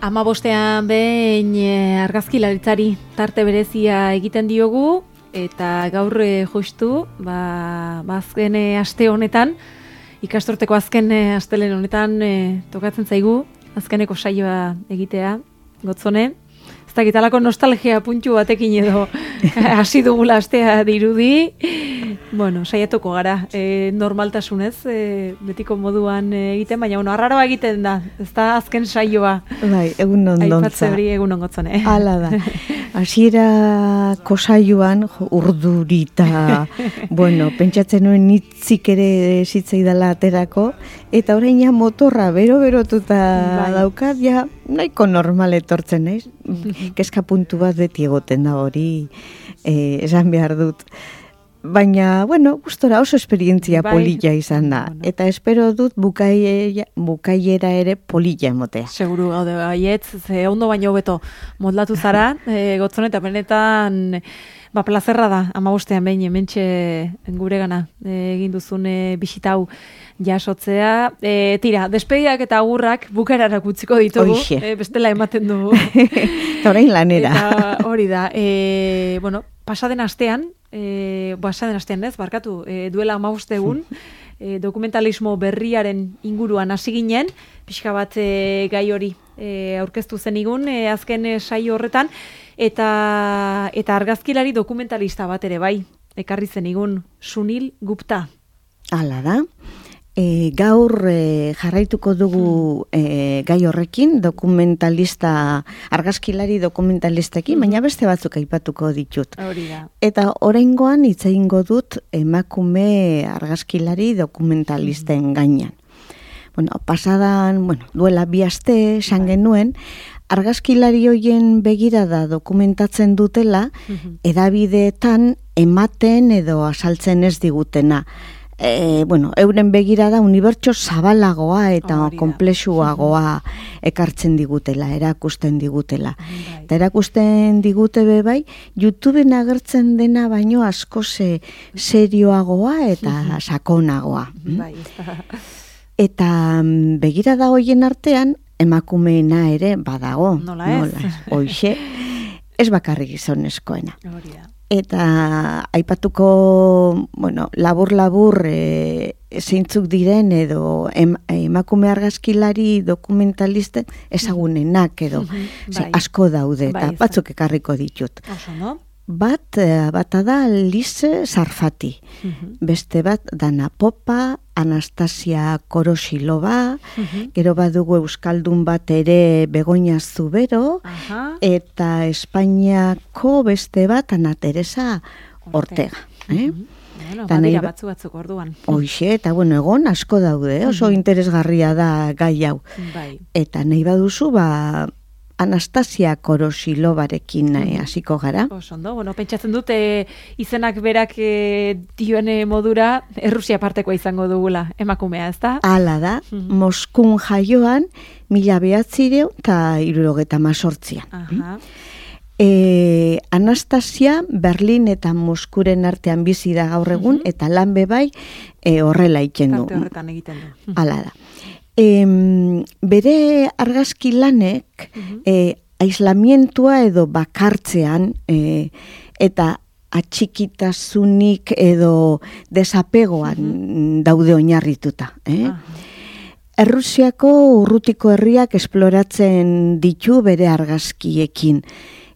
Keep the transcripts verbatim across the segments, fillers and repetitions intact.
Hamabostean behin e, argazkilaritzari tarte berezia egiten diogu, eta gaur e, justu, ba, ba azken e, aste honetan, ikasturteko azken e, astelen honetan e, tokatzen zaigu, azkeneko saioa egitea, Gotzone. Ez dakitalako nostalgia puntu batekin edo hasi dugula astea dirudi. Bueno, saiatuko gara, e, normaltasunez, e, betiko moduan e, egiten, baina bueno, arraroa egiten da, ez da azken saioa. Bai, egun ondontza. Aipatze hori egun ongotzone. Hala da. Hasierako saioan urdurita, bueno, pentsatzen nuen hitzik ere zitzaidala aterako, eta orain ja motorra bero-berotuta bai. Daukat, ja nahiko normal etortzen naiz. Kezka puntu bat beti egoten da hori, eh, esan behar dut. Baina, bueno, gustora oso esperientzia bai. Polilla izan da. Bueno. Eta espero dut bukaia, bukaiera ere polilla emotea. Seguru gaude baietz, ze ondo baino hobeto moldatu zara, e, Gotzone, eta benetan, ba, plazerra da, hamabostean behin, hementxe guregana egin duzun e, bisitau jasotzea. E, tira, despediak eta agurrak bukaerarak utziko ditugu, e, bestela ematen dugu. Eta orain lanera. Eta hori da, e, bueno, pasaden astean, E, Boasaden astean ez, barkatu, e, duela hamabost egun, e, dokumentalismo berriaren inguruan hasi ginen, pixka bat e, gai hori e, aurkeztu zenigun, e, azken e, saio horretan, eta, eta argazkilari dokumentalista bat ere bai, ekarri zenigun, Sunil Gupta. Hala da. E, gaur e, jarraituko dugu e, gai horrekin, dokumentalista, argazkilari dokumentalistekin, baina beste batzuk aipatuko ditut. Hori da. Eta oraingoan hitz egingo dut emakume argazkilari dokumentalisten gainean. Bueno, pasadan, bueno, duela bi aste esan genuen, argazkilari hoien begirada dokumentatzen dutela, hedabideetan ematen edo asaltzen ez digutena. E, bueno, euren begirada unibertso zabalagoa eta oh, konplexuagoa ekartzen digutela, erakusten digutela. Bai. Eta erakusten digute be bai, YouTubeen agertzen dena baino asko ze serioagoa eta sakonagoa. Bai. Eta begirada hoien artean emakumeena ere badago. Nola ez? Nola ez? Hoxe, ez bakarrik gizonezkoena. Hori da. Eta aipatuko, bueno, labur-labur e, zeintzuk diren edo em, emakume argazkilari dokumentaliste ezagunenak edo bai. Ze, asko daude eta bai, batzuk ekarriko ditut. Oso, no? Bat, bata da Lise Sarfati, uh-huh. Beste bat Dana Popa, Anastasia Korosilova, uh-huh. Gero badugu euskaldun bat ere Begoña Zubero, uh-huh. Eta Espainiako beste bat Ana Teresa Ortega. Eh? Uh-huh. Bueno, badira batzu batzuk orduan. Hoxe, eta bueno, egon asko daude, oso uh-huh. interesgarria da gai hau. Bai. Eta nahi baduzu, ba, Anastasia Korosilovarekin hasiko gara. Osondo, bueno, pentsatzen dut e, izenak berak e, dioen modura Errusia partekoa izango dugula emakumea, ezta? Hala da, mm-hmm. Moskun jaioan mila behatzireun eta hirurogeta mazortzian. Aha. E, Anastasia Berlin eta Moskuren artean bizi da gaur egun, mm-hmm. eta lan bebai e, horrela iten du. Tarte horretan egiten du. Hala da. E, bere argazki lanek uh-huh. e, aislamientua edo bakartzean e, eta atxikitasunik edo desapegoan uh-huh. daude oinarrituta. Eh? Uh-huh. Errusiako urrutiko herriak esploratzen ditu bere argazkiekin.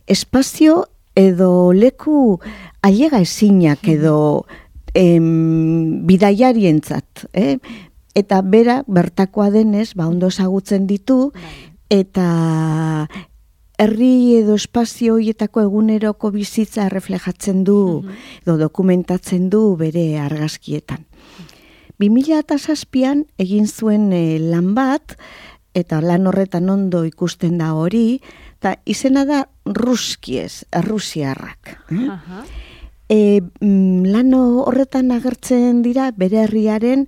Espazio edo leku ailega ezinak edo em, bidaiarientzat, eh? Eta bera bertakoa denez, ba ondo ezagutzen ditu, eta herri edo espazio horietako eguneroko bizitza reflejatzen du, edo dokumentatzen du bere argazkietan. bi mila zazpian egin zuen e, lan bat, eta lan horretan ondo ikusten da hori, eta izena da Ruskiez, Errusiarrak. Uh-huh. E, lan horretan agertzen dira bere herriaren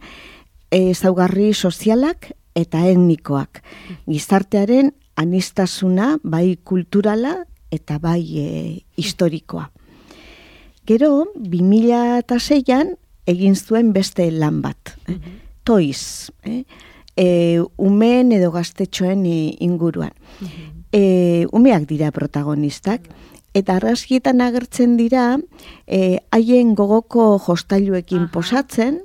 ezaugarri sozialak eta etnikoak. Gizartearen aniztasuna, bai kulturala eta bai e, historikoa. Gero, bi mila seian egin zuen beste lan bat. Eh? Uh-huh. Toiz. Eh? e, umeen edo gaztetxoen inguruan. E, umeak dira protagonistak, eta argazkietan agertzen dira haien e, gogoko jostailuekin Aha. posatzen,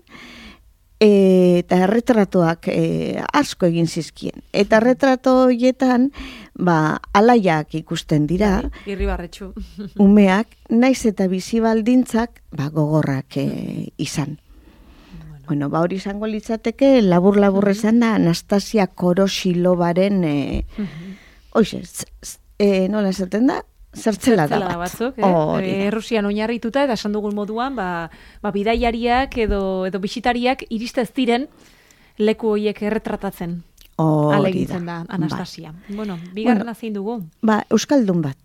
E, eta erretratoak e, asko egin zizkien. Eta erretrato horietan, ba, alaiak ikusten dira. Irribarretxu. Umeak, naiz eta bizi baldintzak, ba, gogorrak e, izan. Bueno, bueno ba, hori izango litzateke, labur-labur esan da, Anastasia Korosilobaren, e, uh -huh. oize, e, nola esaten da? Zertzela da bat. Batzuk, eh? Oh, e, Rusian oinarrituta, eta esan dugun moduan, ba, ba bidaiariak edo, edo bisitariak iriste ez diren leku horiek erretratatzen. Alegitzen da, Anastasia. Ba. Bueno, bigarren bueno, zein dugu? Ba, Euskaldun bat.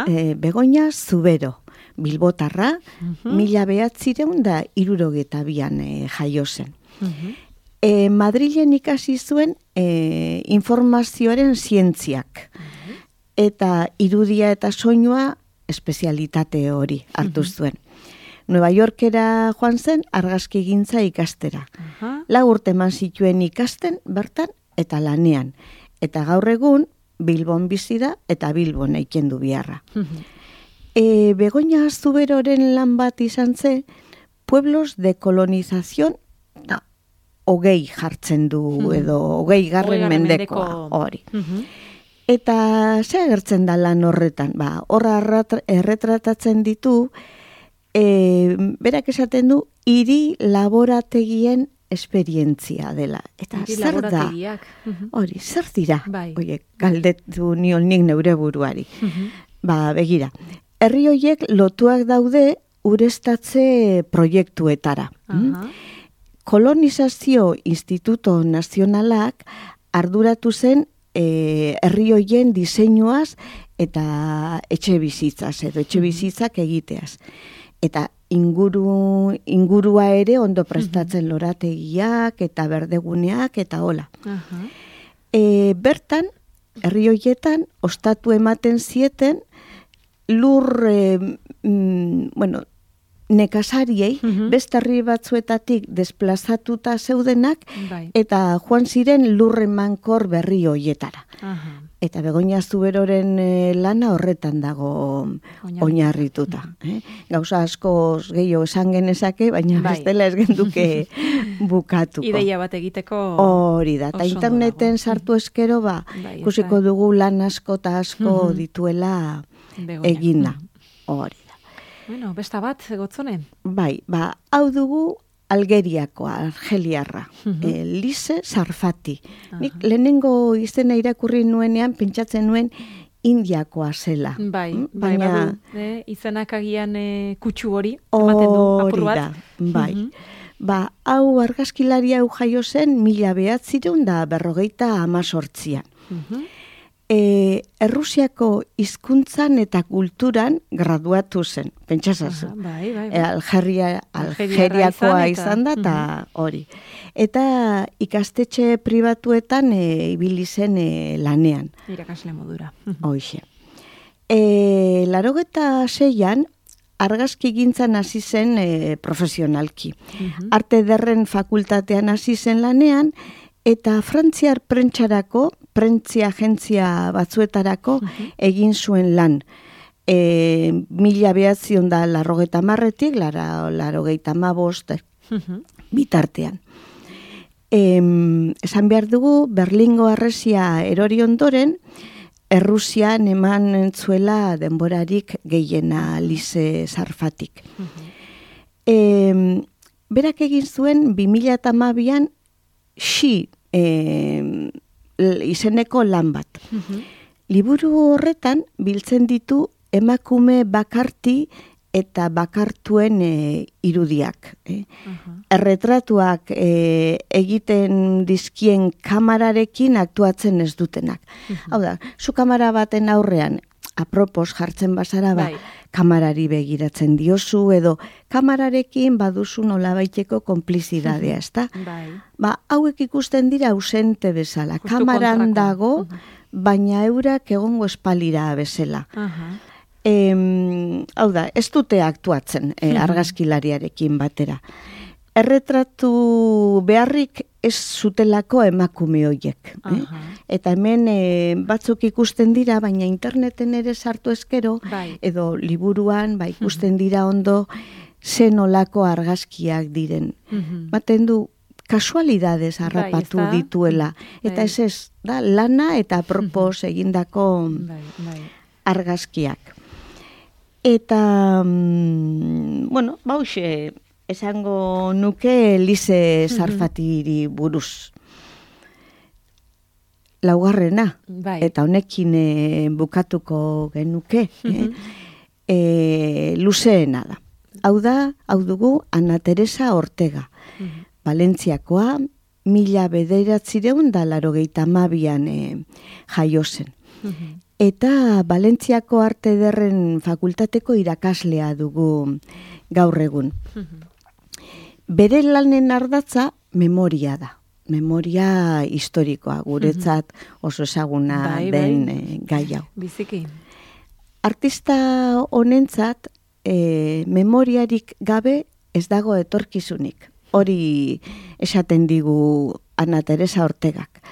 E, Begoña Zubero, Bilbotarra, uh-huh. mila behatzireun da irurogeta bian e, jaio zen. Uh-huh. e, Madrilen ikasi zuen e, informazioaren zientziak. Eta irudia eta soinua espezialitate hori hartu zuen. Nueva Yorkera joan zen argazki gintza ikastera. Uh-huh. Lau urte eman zituen ikasten bertan eta lanean. Eta gaur egun Bilbon bizi da eta Bilbon eiken du biharra. Uh-huh. e, Begoña Zuberoren lan bat izan zen Pueblos de Colonización no, hogei jartzen du uh-huh. edo hogei garren mendekoa hori. Uh-huh. Eta ze agertzen da lan horretan? Ba, horra erretratatzen ditu, e, berak esaten du, hiri laborategien esperientzia dela. Eta hiri zer da? Hori, zer dira? Bai. Oie, galdetu nion nik neure buruari. Uh-huh. Ba, begira, herri horiek lotuak daude urestatze proiektuetara. Uh-huh. Kolonizazio Instituto Nazionalak arduratu zen E, herri hoien diseinuaz eta etxe bizitzaz edo etxe bizitzak egiteaz. Eta inguru, ingurua ere ondo prestatzen uh-huh. lorategiak eta berdeguneak eta hola. Uh-huh. E, bertan, herri hoietan, ostatu ematen zieten lur, e, mm, bueno, nekazariei, uh-huh. beste herri batzuetatik desplazatuta zeudenak, bai. Eta joan ziren lurren mankor berri hoietara. Uh-huh. Eta Begoña Zuberoren e, lana horretan dago oinarrituta. Uh-huh. eh? Gauza asko gehiago esan genezake, baina bai. Bestela ez genduke bukatuko. Ideia bat egiteko hori da. Eta interneten sartu eskero, ba, bai, ikusiko dugu lan asko eta asko uh-huh. dituela Begoña. Egina. Hori. Bueno, besta bat, Gotzone? Bai, ba, hau dugu Algeriakoa, argeliarra, uh-huh. e, Lise Sarfati. Uh-huh. Nik lehenengo izena irakurri nuenean, pentsatzen nuen Indiakoa zela. Bai, mm? bai, baina... badu, eh, izenak agian e, kutsu hori, ematen du, apur bat. Da, bai. Uh-huh. Ba, hau argazkilaria hau jaio zen, mila behatzireun da berrogeita amazortzian. Uh-huh. E, Errusiako hizkuntzan eta kulturan graduatu zen, pentsasazu. Ah, bai, bai, bai. E, Algeria, Algeriakoa izan da, eta hori. Eta ikastetxe pribatuetan e, ibili zen e, lanean. Irakasle modura. Hoxe. E, Larogeta seian, argazki gintzan hasi zen e, profesionalki. Uh-huh. Arte Ederren fakultatean hasi zen lanean, eta Frantziar prentxarako, prentzia agentzia batzuetarako uh-huh. egin zuen lan. E, mila behatzion da larrogeita marretik, lara, larrogeita mabost uh-huh. bitartean. E, esan behar dugu, Berlingo harresia erori ondoren, Errusian eman entzuela denborarik gehiena Lise Sarfatik. Uh-huh. E, berak egin zuen bi mila hamabian Xi e, izeneko lan bat. Uh-huh. Liburu horretan biltzen ditu emakume bakarti eta bakartuen e, irudiak. Eh? Uh-huh. Erretratuak e, egiten dizkien kamararekin aktuatzen ez dutenak. Uh-huh. Hau da, zu kamara baten aurrean, apropos jartzen bazara, ba, bai. Kamarari begiratzen diozu, edo kamararekin baduzu nolabaiteko konplizidadea, ezta? Bai. Ba, hauek ikusten dira ausente bezala. Justu kamaran kontrako. Dago, uh-huh. baina eurak egongo espalira bezala. Uh-huh. E, hau da, ez dute aktuatzen e, argazkilariarekin batera. erretratu beharrik ez zutelako emakume horiek. Eh? Eta hemen e, batzuk ikusten dira, baina interneten ere sartu ezkero, bai. edo liburuan ba, ikusten dira ondo zen olako argazkiak diren. Baten du, kasualidades harrapatu bai, dituela. Eta bai. ez ez, da, lana eta propos egindako bai, bai. argazkiak. Eta, mm, bueno, bauxe, esango nuke Elize Sarfatiri buruz. Laugarrena, bai. eta honekin e, bukatuko genuke, eh? e, luzeena da. Hau da, hau dugu, Ana Teresa Ortega. Valentziakoa, mila bederatzireun da larogeita hamabian e, jaio zen. Eta Valentziako Arte Ederren Fakultateko irakaslea dugu gaur egun. Bere lanen ardatza memoria da. Memoria historikoa, guretzat oso ezaguna bai, den bai. e, gai hau. Biziki. Artista honentzat e, memoriarik gabe ez dago etorkizunik. Hori esaten digu Ana Teresa Ortegak.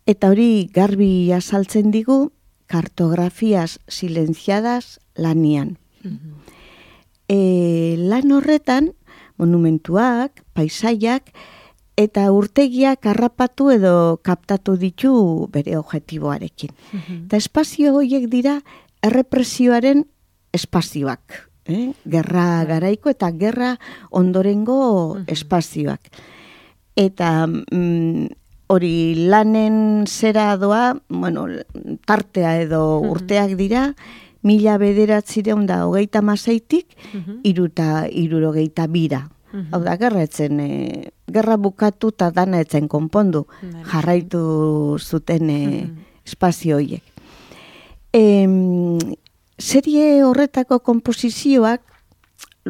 Eta hori garbi azaltzen digu kartografias silenciadas lanian. E, lan horretan monumentuak, paisaiak eta urtegiak harrapatu edo kaptatu ditu bere objektiboarekin. Eta espazio horiek dira errepresioaren espazioak. Eh? Gerra garaiko eta gerra ondorengo espazioak. Eta mm, hori lanen zera doa, bueno, tartea edo urteak dira, mila bederatzireun da hogeita maseitik, iruta irurogeita bira. Hau da, gerra etzen, e, gerra bukatu eta dana etzen konpondu, jarraitu zuten e, espazio horiek. E, serie horretako komposizioak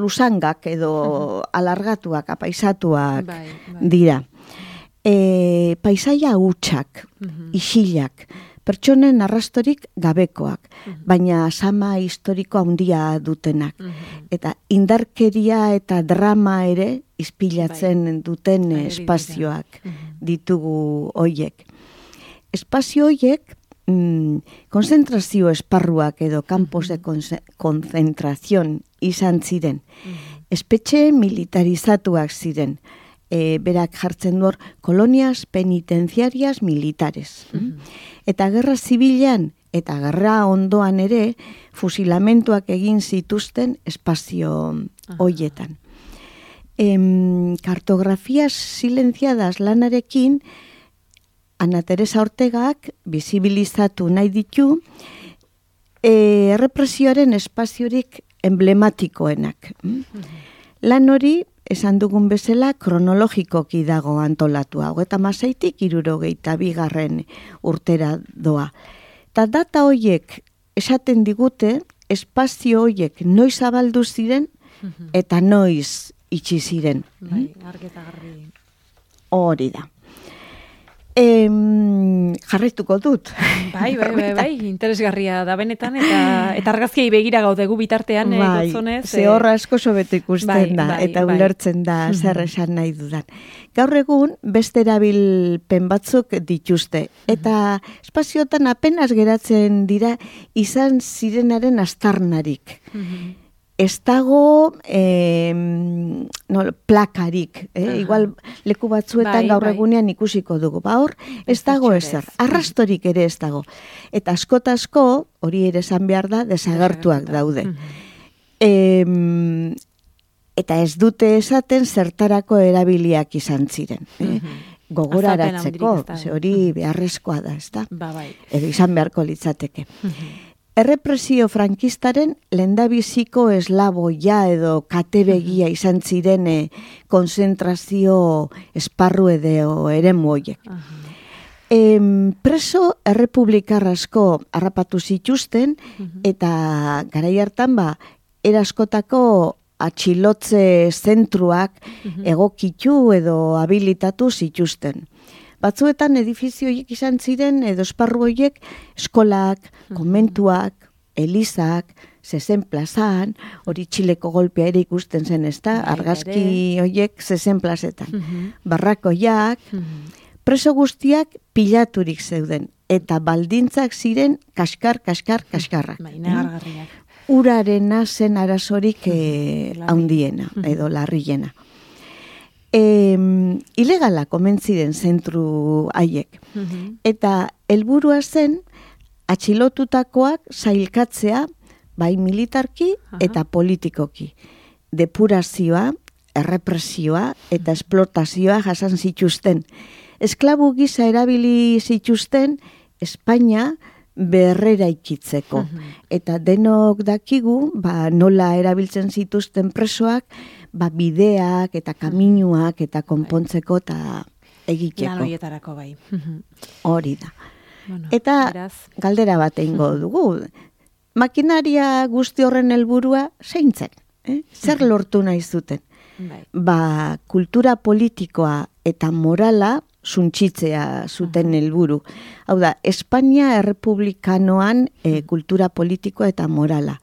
lusangak edo alargatuak, apaisatuak bai, bai. dira. E, paisaia hutsak, isilak, pertsonen arrastorik gabekoak, baina sama historiko handia dutenak. Eta indarkeria eta drama ere izpilatzen duten espazioak ditugu hoiek. Espazio hoiek mm, konzentrazio esparruak edo campos de konzentrazion izan ziren. Espetxe militarizatuak ziren. E, berak jartzen duor, kolonias penitenciarias militares. Eta gerra zibilean eta gerra ondoan ere fusilamentuak egin zituzten espazio hoietan. Em, kartografias silenciadas lanarekin Ana Teresa Ortegak bizibilizatu nahi ditu e, errepresioaren espaziorik emblematikoenak. Lan hori esan dugun bezala kronologikoki dago antolatua, hogeita hamaseitik hirurogeita bigarren urtera doa. Ta data hoiek esaten digute espazio hoiek noiz zabaldu ziren eta noiz itxi ziren. Bai, argi eta garbi. Hori da. Em, jarraituko dut. Bai, bai, bai, bai, interesgarria da benetan, eta, eta argazkiei begira gaude gu bitartean, bai, gotzonez. Ze horra asko sobeto ikusten bai, da, bai, eta bai. ulertzen da zer esan nahi dudan. Gaur egun, beste erabilpen batzuk dituzte, eta espaziotan apenas geratzen dira izan zirenaren astarnarik. Ez dago eh, no, plakarik, eh? Igual leku batzuetan bai, gaur bai. egunean ikusiko dugu. Ba hor, ez dago ezer, arrastorik ere ez dago. Eta askotasko, hori ere esan behar da, desagertuak daude. Eh, eta ez dute esaten zertarako erabiliak izan ziren. Eh? Gogoraratzeko, ze hori beharrezkoa da, ez da? Ba, bai. Edo izan beharko litzateke. Errepresio frankistaren lehendabiziko eslaboia edo katebegia izan zirene konzentrazio esparru edo eremu horiek. Em, preso errepublikar asko harrapatu zituzten eta garai hartan ba eraskotako atxilotze zentruak egokitu edo habilitatu zituzten. Batzuetan edifizio horiek izan ziren edo esparru horiek eskolak, konbentuak elizak, zezen plazan, hori Txileko golpea ere ikusten zen, ez da, argazki horiek zezen plazetan. Mm-hmm. Barrakoiak, mm-hmm. preso guztiak pilaturik zeuden, eta baldintzak ziren kaskar, kaskar, kaskarrak. Baina gargarriak. Urarena zen arazorik eh, handiena, edo larriena. E, ilegala komentziren zentru haiek. Mm-hmm. Eta helburua zen atxilotutakoak zailkatzea bai militarki eta politikoki. Depurazioa, errepresioa eta esplotazioa jasan zituzten. Esklabu gisa erabili zituzten Espainia berrera ikitzeko. Uh-huh. Eta denok dakigu, ba, nola erabiltzen zituzten presoak, ba, bideak eta kaminuak eta konpontzeko eta egiteko. Lan horietarako bai. Hori da. Bueno, eta beraz. Galdera bat egingo dugu. Makinaria guzti horren helburua zein zen? Eh? Zer lortu nahi zuten? Bai. Ba, kultura politikoa eta morala suntxitzea zuten helburu. Hau da, Espainia errepublikanoan e, kultura politikoa eta morala.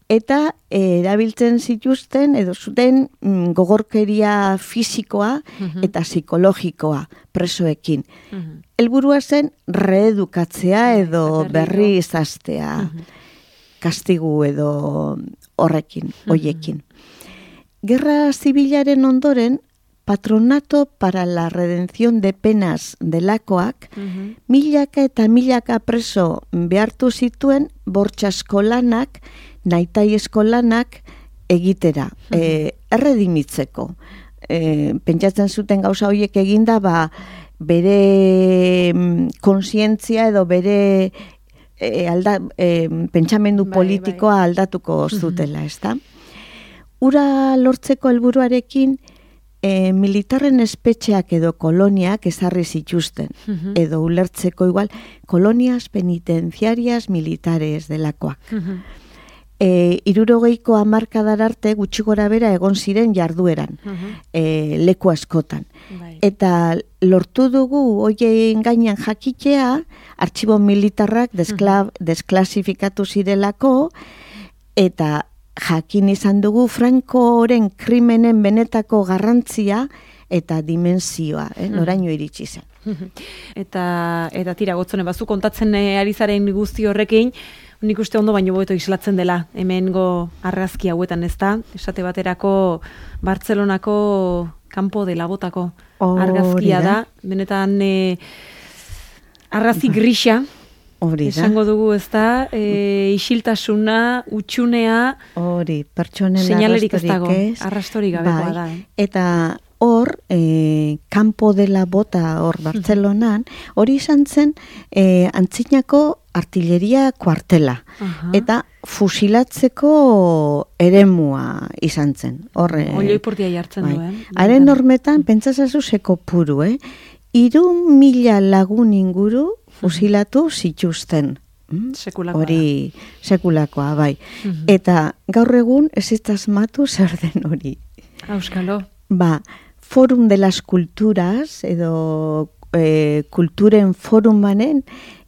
Eta e, erabiltzen zituzten, edo zuten mm, gogorkeria fisikoa eta psikologikoa presoekin. Helburua zen reedukatzea edo berri izaztea kastigu edo horrekin, hoiekin. Gerra zibilaren ondoren, Patronato para la Redención de Penas delakoak, uh-huh. milaka eta milaka preso behartu zituen bortxasko lanak, nahitaiezko lanak egitera, uh-huh. e, erredimitzeko. E, pentsatzen zuten gauza horiek eginda, ba, bere konsientzia edo bere e, alda, e, pentsamendu bai, politikoa bai. aldatuko zutela, uh-huh. ezta? Ura lortzeko helburuarekin, E, militarren espetxeak edo koloniak ezarri zituzten, uh-huh. edo ulertzeko igual, kolonias penitenciarias militares delakoak. Uh-huh. E, irurogeiko hamarkadar arte gutxi gora bera egon ziren jardueran, uh-huh. e, leku askotan. Bai. Eta lortu dugu hoien gainean jakitea, artxibo militarrak deskla, uh-huh. desklasifikatu zirelako, eta jakin izan dugu Francoren krimenen benetako garrantzia eta dimensioa, eh, noraino iritsi zen. Eta, eta tira, gotzone, bazu kontatzen ari zaren guzti horrekin, nik uste ondo baino boeto islatzen dela, hemengo argazki hauetan, ez da? Esate baterako Bartzelonako kanpo de labotako argazkia da, benetan e, arrazi grisa, Hori da. Esango dugu, ez da, e, isiltasuna, utxunea, hori, pertsonen señalerik ez dago, ez, arrastorik gabekoa bai. da. Eh? Eta hor, e, kanpo dela bota hor Bartzelonan, hori izan zen e, antzinako artilleria kuartela. Uh-huh. Eta fusilatzeko eremua izan zen. Horre, Olioipurtia jartzen bai. du, eh? Haren normetan, pentsazazu seko puru, eh? Iru mila lagun inguru fusilatu zituzten. Mm? Sekulakoa. Hori sekulakoa, bai. Uh-huh. Eta gaur egun ez ez asmatu zer den hori. Auskalo. Ba, Forum de las Culturas, edo e, kulturen forumanen,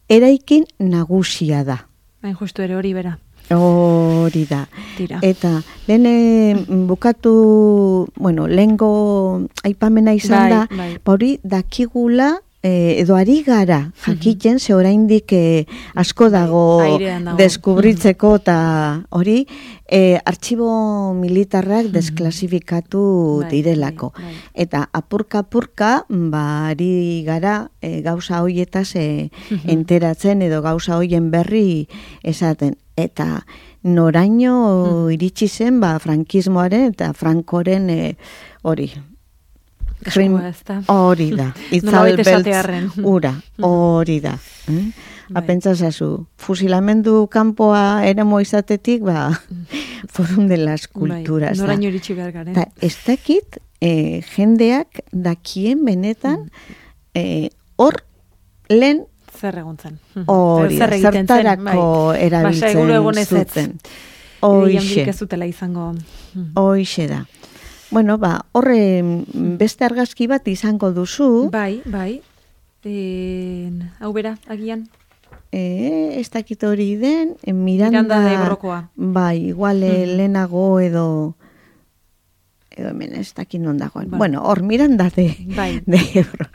eraikin nagusia da. Hain justu ere hori bera. Hori da. Tira. Eta lehen bukatu, bueno, lehengo aipamena izan bai, da, bai. hori dakigula, eh, edo ari gara jakiten, ze oraindik eh, asko dago, dago deskubritzeko, eta hori, eh, artxibo militarrak desklasifikatu bai, direlako. bai, bai. Eta apurka-apurka, ba, ari gara eh, gauza hoietaz eh, enteratzen, edo gauza hoien berri esaten. Eta noraino iritsi zen, ba, frankismoaren eta Frankoren eh, hori. Krim, hori da. Itzalbeltz ura, hori da. Eh? Apentsasazu, fusilamendu kanpoa eremo izatetik, ba, Forum de las Culturas. Bai, noraino iritsi behar garen. Ta, ez dakit, eh, jendeak dakien benetan, eh, hor lehen zer egontzen. Hori, zertarako erabiltzen zuten. Hoixe. Ez zutela izango. Hoixe da. Bueno, ba, horre beste argazki bat izango duzu. Bai, bai. E, hau bera, agian. e, ez dakit hori den, e, Miranda... Miranda de Ebrokoa. Bai, igual mm. lehenago edo... edo hemen ez dakit non dagoen. Bai. Bueno, hor, Miranda de, bai. de Ebro.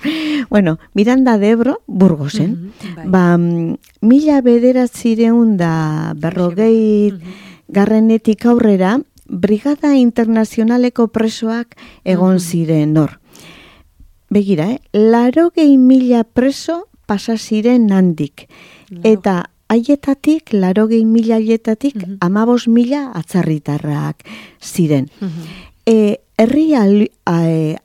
Bueno, Miranda de Ebro, Burgosen. Mm-hmm, bai. Ba, mila bederatzireun da berrogei mm-hmm. garrenetik aurrera, Brigada Internazionaleko presoak egon mm-hmm. ziren hor. Begira, eh? Larogei mila preso pasa ziren handik. Laro. Eta haietatik, larogei mila haietatik, mm-hmm. amabos mila atzarritarrak ziren. Mm-hmm. E, herri ali, a,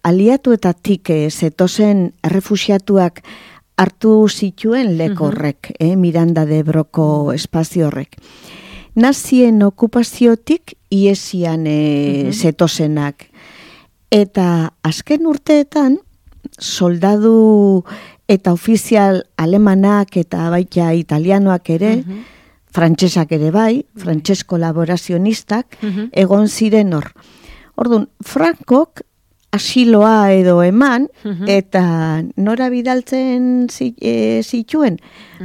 aliatuetatik e, zetozen errefusiatuak hartu zituen lekorrek, mm-hmm. eh, Miranda de Ebroko espazio horrek. Nazien okupaziotik iesian e, mm-hmm. zetozenak. Eta azken urteetan, soldadu eta ofizial alemanak eta baita italianoak ere, mm-hmm. frantsesak ere bai, frantses kolaborazionistak, mm-hmm. egon ziren hor. Orduan, Frankok asiloa edo eman, mm-hmm. eta nora bidaltzen zituen,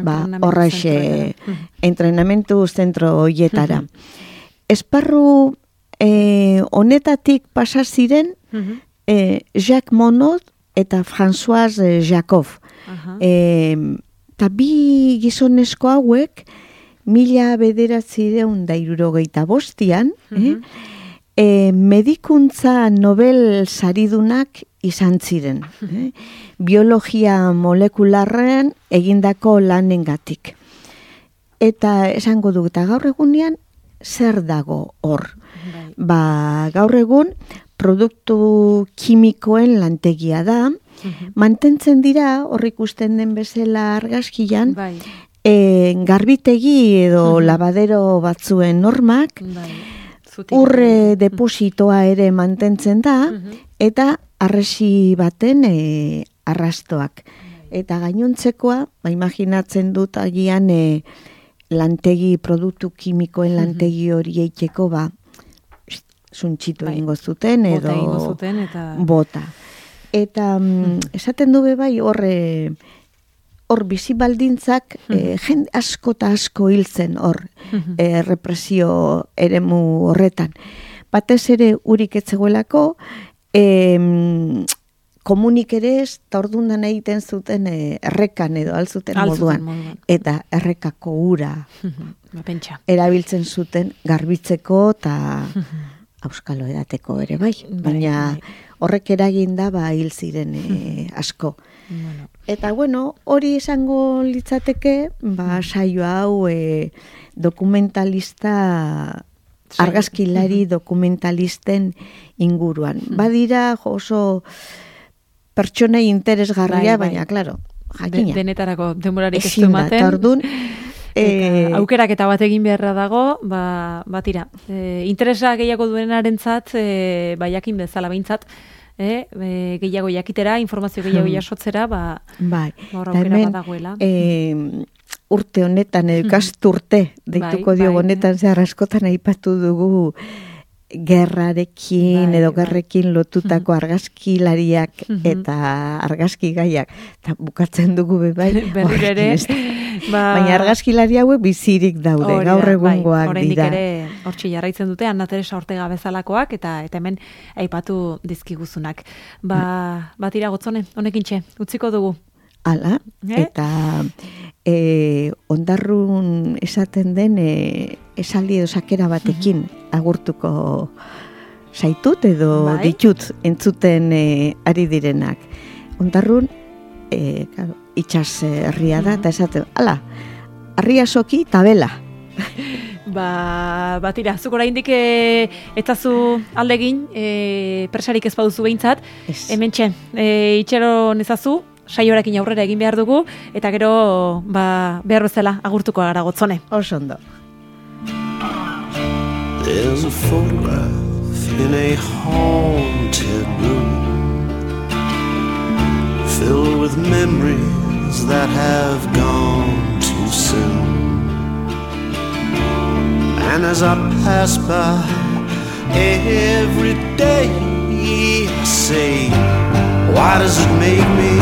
ba, horreixe, mm-hmm. entrenamentu zentro hoietara. Mm-hmm. Esparru eh, honetatik pasa ziren, mm-hmm. eh, Jacques Monod eta François Jacob. Uh-huh. Eta bi gizonezko hauek, mila bederatzireun da hirurogeita bostian, uh-huh. eh, E, medikuntza Nobel saridunak izan ziren. Eh? Biologia molekularrean egindako lanengatik. Eta esango dut, eta gaur egunean zer dago hor? Bai. Ba, gaur egun produktu kimikoen lantegia da, uh-huh. mantentzen dira, hor ikusten den bezala argazkian, bai. e, garbitegi edo uh-huh. labadero batzuen normak, bai. Urre depositoa ere mantentzen da, uh-huh. eta arresi baten e, arrastoak. Eta gainontzekoa, ba, imaginatzen dut agian e, lantegi, produktu kimikoen lantegi hori eiteko, ba, zuntxitu bai. Egingo zuten, edo bota, egingo zuten eta... bota. Eta mm, esaten du bai horre, hor bizi baldintzak mm-hmm. eh, jende asko eta asko hiltzen hor mm-hmm. eh, represio eremu horretan. Batez ere urik etzegoelako, eh, komunik ere ez, eta ordundan egiten zuten eh, errekan edo alzuten moduan. moduan. Eta errekako ura mm-hmm. erabiltzen zuten garbitzeko eta mm-hmm. auskalo edateko ere bai. Baina horrek eragin da ba hil ziren eh, asko. Bueno. Eta bueno, hori esango litzateke, ba saio hau e, dokumentalista, argazkilari dokumentalisten inguruan. Badira oso pertsonei interesgarria, bai, bai. Baina, klaro, jakina. De, denetarako denborarik ez du ematen. Ordun, e, aukeraketa bat egin beharra dago, ba, batira. E, interesa gehiago duenarentzat, e, ba, jakin bezala behintzat, Eh, e, gehiago jakitera, informazio gehiago jasotzera, ba, bai. Ba, aukera bat dagoela. E, urte honetan, ikasturte, deituko bai, diogu honetan, bai. Zehar askotan aipatu dugu gerrarekin bai, edo gerrekin bai. Lotutako argazkilariak eta argazki gaiak. Eta bukatzen dugu bai. Berriro ere. Ba, baina argazkilari hauek bizirik daude, orida, gaur egungoak bai, dira. Ere hortxe jarraitzen dute, Ana Teresa Ortega bezalakoak, eta, eta hemen aipatu dizkiguzunak. Ba, bat iragotzone, honekin txe, utziko dugu. Hala, eh? Eta e, ondarrun esaten den e, esaldi edo sakera batekin agurtuko zaitut edo bai. Ditut entzuten e, ari direnak. Ondarrun, e, claro, itxas herria da, eta esaten, ala, harria soki eta bela. Ba, batira, zuk oraindik e, etazu aldegin, e, presarik ez baduzu behintzat, hemen txen, e, itxero nezazu, saioarekin aurrera egin behar dugu, eta gero ba, behar bezala agurtuko gara Gotzone. Oso ondo. There's a photograph in a haunted room filled with memories that have gone too soon. And as I pass by every day, I say, why does it make me